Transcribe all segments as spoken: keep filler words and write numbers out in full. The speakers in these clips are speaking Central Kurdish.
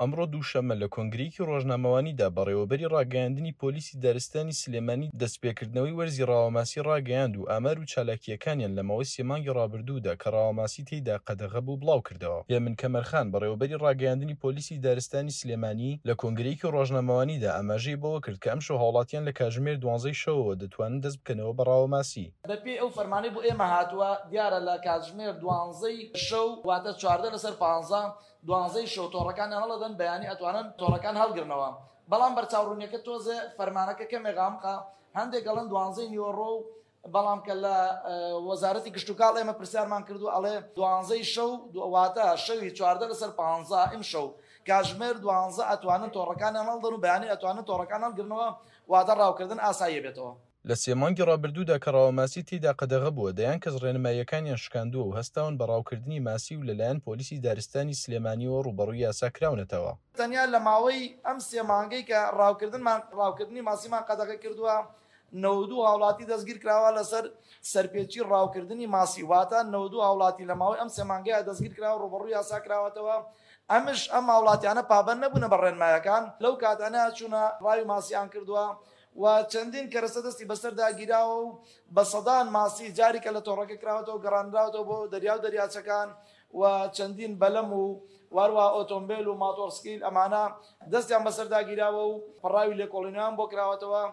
ئەمڕۆ دووشەممە لە کۆنگرەیەکی ڕۆژنامەوانیدا بەڕێوەبەری ڕاگەیاندنی پۆلیسی دارستانی سلێمانی دەستپێکردنەوەی وەرزی ڕاوەماسی ڕاگەیاند و ئامار و چالاکییەکانیان لە ماوەی سێ مانگی ڕابردوودا کە ڕاوەماسی تێیدا قەدەغە بوو بڵاوکردەوە. هێمن کەمەرخان، بەڕێوەبەری ڕاگەیاندنی پۆلیسی دارستانی سلێمانی، لە کۆنگرەیەکی ڕۆژنامەوانیدا ئاماژەی بەوەکرد کە ئەمشەو هاوڵاتیان لە کاژمێر دوانزەی شەوەوە دەتوانن دەست بکەنەوە بە ڕاوەماسی. بەپێی ئەو فەرمانەی بۆ ئێمە هاتووە دیارە لە کاتژمێر دوانزەی شەو واتە چواردە لەسەر پانزە دوانزەی شەو تۆڕەکانیان هەڵەدەن، بەیانی ئەتوانن تۆڕەکان هەڵگرنەوە، بەڵام بەرچاوڕوونیەکە تۆزێ فەرمانەکە کەمێک غامقە، هەندێک ئەڵێن دوانزەی نیوەڕۆ و بەڵام کە لە وەزارەتی کشتوکاڵ ئێمە پرسیارمان کردو ئەڵێ دوانزەی شەو واتە شەوی چواردە لەسەر پانزە ئیمشەو کاتژمێر دوانزە ئەتوانن تۆڕەکانیان هەڵدەن و بەیانی ئەتوانن تۆڕەکان هەڵگرنەوە، واتە ڕاوکردن ئاساییە بێتەوە. لە سێ مانگی ڕابردوودا کە ڕاوەماسی تێیدا قەدەغە بووە، دەیان کەس ڕێنماییەکانیان شکاندووە و هەستاون بە ڕاوکردنی ماسی و لەلایەن پۆلیسی دارستانی سلێمانیەوە ڕووبەڕووی یاسا کراونەتەوە. تەنیا لە ماوەی ئەم سێ مانگەی کە ڕاوکردنمان ڕاوکردنی ماسیمان قەدەغە کردووە، نەوەد و دوو هاوڵاتی دەستگیر کراوە لەسەر سەرپێچی ڕاوکردنی ماسی، واتە نەوەد و دوو هاوڵاتی لە ماوەی ئەم سێ مانگەیە دەستگیر کراوە ڕووبەڕووی یاسا کراوەتەوە. ئەمش ئەم هاوڵاتیانە پابەند نەبوونە بە ڕێنمایەکان، لەو کاتانە چوونە ڕاوی ماسیان کردووە و چەندین کەرەسە دەستی بەسەردا گیراوە و بە سەدان ماسی جاری کە لە تۆڕەکە کراوەتەوە گەڕاندراوەتەوە بۆ دەریا و دەریاچەکان و چەندین بەلەم و واروە ئۆتۆمبیل و ماتۆرسکیل ئەمانە دەستیان بەسەردا گیراوە و پەڕاوی لێکۆڵینەوەیان بۆ کراوەتەوە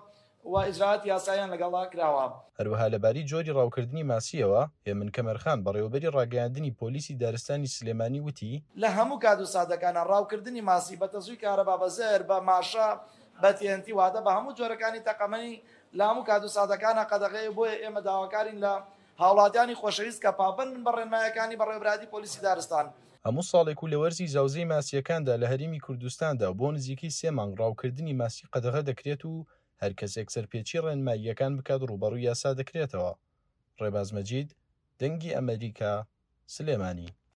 و ئیجرائات یاساییان لەگەڵدا کراوە. هەروەها لەبارەی جۆری ڕاوکردنی ماسیەوە، هێمن کەمەرخان بەڕێوەبەری ڕاگەیاندنی پۆلیسی دارستانی سلێمانی وتی، لە هەموو کات و ساتەکانە ڕاوکردنی ماسی بە تەزووی کارەبا، بە زەهر، بە ماشە، بە تێنتی، واتە بە هەموو جۆرەکانی تەقەمەنی لە هەموو کات و ساتەکانە قەدەغەیە. بۆیە ئێمە داواکارین لە هاوڵاتیانی خۆشەویست کە پابەند بن بە ڕێنمایەکانی بەڕێوەبەرایەتی پۆلیسی دارستان. هەموو ساڵێک و لە وەرزی زاوزێی ماسیەکاندا لە هەرێمی کوردستاندا بۆ نزیکەی سێ مانگ ڕاوکردنی ماسی قەدەغە دەکرێت و هەر کەسێک سەرپێچی ڕێنماییەکان بکات ڕووبەڕووی یاسا دەکرێتەوە. ڕێباز مەجید، دەنگی ئەمریکا، سلێمانی.